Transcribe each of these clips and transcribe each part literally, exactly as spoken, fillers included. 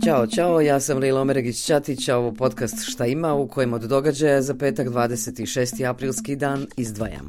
Ćao, čao, ja sam Lila Omeregić-Ćatić, a ovo podcast Šta ima, u kojem od događaja za petak dvadeset šesti aprilski dan izdvajam.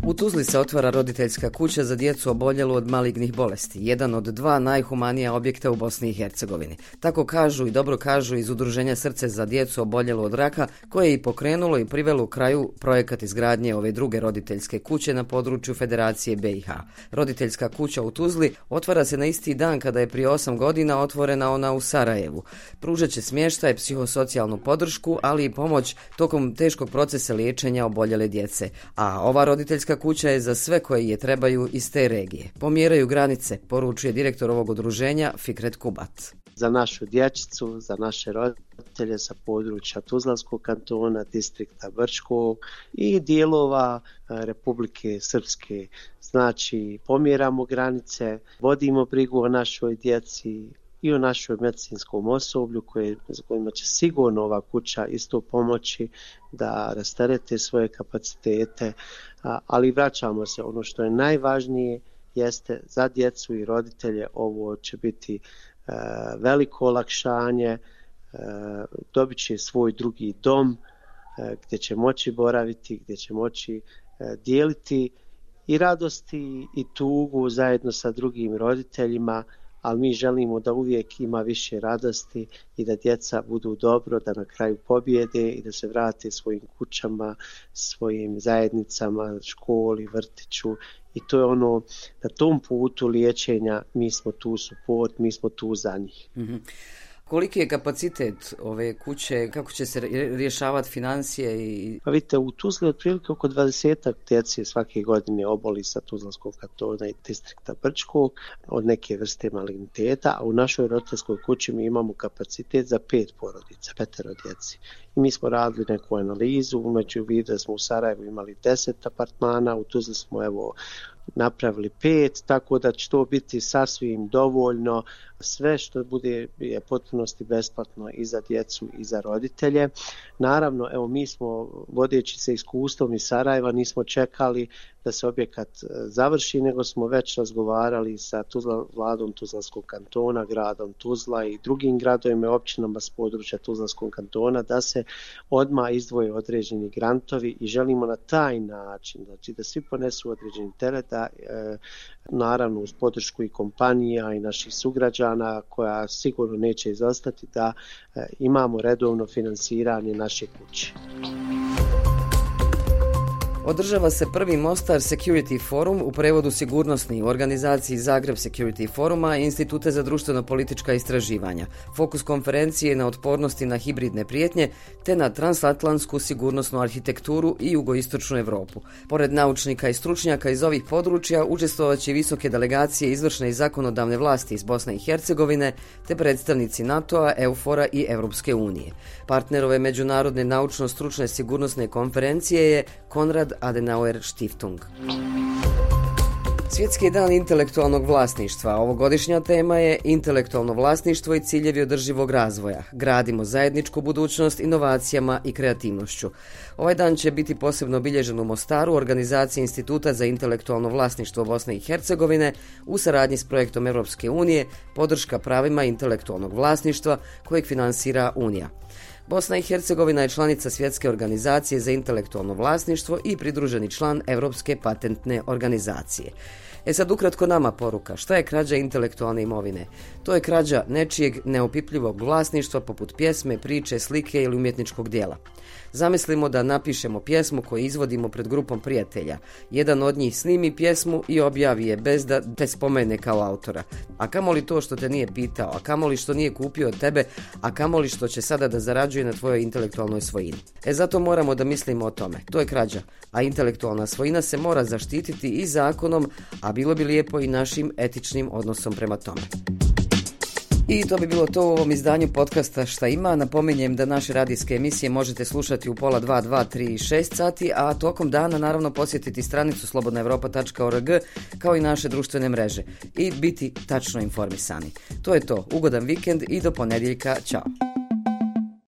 U Tuzli se otvara roditeljska kuća za djecu oboljelu od malignih bolesti, jedan od dva najhumanija objekta u Bosni i Hercegovini. Tako kažu i dobro kažu iz Udruženja Srce za djecu oboljelu od raka, koje je i pokrenulo i privelo u kraju projekat izgradnje ove druge roditeljske kuće na području Federacije B i H. Roditeljska kuća u Tuzli otvara se na isti dan kada je prije osam godina otvorena ona u Sarajevu. Pružat će smještaj, psihosocijalnu podršku, ali i pomoć tokom teškog procesa liječenja oboljele djece. A ova roditeljska kuća je za sve koji je trebaju iz te regije. Pomjeraju granice, poručuje direktor ovog udruženja Fikret Kubat. Za našu dječicu, za naše roditelje sa područja Tuzlanskog kantona, distrikta Brčkog i dijelova Republike Srpske. Znači, pomjeramo granice, vodimo brigu o našoj djeci i o našoj medicinskom osoblju koje, za kojima će sigurno ova kuća isto pomoći da rasterete svoje kapacitete, ali vraćamo se. Ono što je najvažnije jeste za djecu i roditelje ovo će biti e, veliko olakšanje, e, dobit će svoj drugi dom e, gdje će moći boraviti, gdje će moći e, dijeliti i radosti i tugu zajedno sa drugim roditeljima, ali mi želimo da uvijek ima više radosti i da djeca budu dobro, da na kraju pobjede i da se vrate svojim kućama, svojim zajednicama, školi, vrtiću. I to je ono, na tom putu liječenja mi smo tu suport, mi smo tu za njih. Mm-hmm. Koliki je kapacitet ove kuće, kako će se rješavati financije? I... Pa vidite, u Tuzli otprilike oko dvadesetak djece svake godine oboli sa Tuzlanskog kantona i distrikta Brčkog od neke vrste maligniteta, a u našoj roditeljskoj kući mi imamo kapacitet za pet porodica, petero djeci. I mi smo radili neku analizu, umeđu vidu da smo u Sarajevu imali deset apartmana, u Tuzli smo evo napravili pet, tako da će to biti sasvim dovoljno. Sve što bude je potpunosti besplatno i za djecu i za roditelje. Naravno, evo mi smo, vodeći se iskustvom iz Sarajeva, nismo čekali da se objekat završi, nego smo već razgovarali sa Tuzla, vladom Tuzlanskog kantona, gradom Tuzla i drugim gradovima i općinama s područja Tuzlanskog kantona da se odmah izdvoje određeni grantovi i želimo na taj način, znači da svi ponesu određeni teret, da, e, naravno uz podršku i kompanija i naših sugrađana koja sigurno neće izostati, da e, imamo redovno finansiranje naše kuće. Održava se prvi Mostar Security Forum, u prevodu sigurnosni, u organizaciji Zagreb Security Foruma i Instituta za društveno-politička istraživanja. Fokus konferencije je na otpornosti na hibridne prijetnje te na transatlantsku sigurnosnu arhitekturu i jugoistočnu Europu. Pored naučnika i stručnjaka iz ovih područja učestvovat će visoke delegacije izvršne i zakonodavne vlasti iz Bosne i Hercegovine te predstavnici NATO-a, EUFOR-a i Europske unije. Partner ove međunarodne naučno-stručne sigurnosne konferencije je Konrad Adenauer Stiftung. Svjetski dan intelektualnog vlasništva. Ovogodišnja tema je intelektualno vlasništvo i ciljevi održivog razvoja. Gradimo zajedničku budućnost inovacijama i kreativnošću. Ovaj dan će biti posebno obilježen u Mostaru u organizaciji Instituta za intelektualno vlasništvo Bosne i Hercegovine u saradnji s projektom Europske unije Podrška pravima intelektualnog vlasništva kojeg finansira Unija. Bosna i Hercegovina je članica Svjetske organizacije za intelektualno vlasništvo i pridruženi član Europske patentne organizacije. E sad ukratko nama poruka. Šta je krađa intelektualne imovine? To je krađa nečijeg neopipljivog vlasništva poput pjesme, priče, slike ili umjetničkog dijela. Zamislimo da napišemo pjesmu koju izvodimo pred grupom prijatelja. Jedan od njih snimi pjesmu i objavi je bez da te spomene kao autora. A kamoli to što te nije pitao, a kamoli što nije kupio od tebe, a kamoli što će sada da zarađuje na tvojoj intelektualnoj svojini. E zato moramo da mislimo o tome. To je krađa, a intelektualna svojina se mora zaštititi i zakonom, a bilo bi lijepo i našim etičnim odnosom prema tome. I to bi bilo to u ovom izdanju podcasta Šta ima. Napominjem da naše radijske emisije možete slušati u pola dva, dva, tri i šest sati, a tokom dana naravno posjetiti stranicu slobodna europa tačka org kao i naše društvene mreže i biti tačno informisani. To je to. Ugodan vikend i do ponedjeljka. Ćao.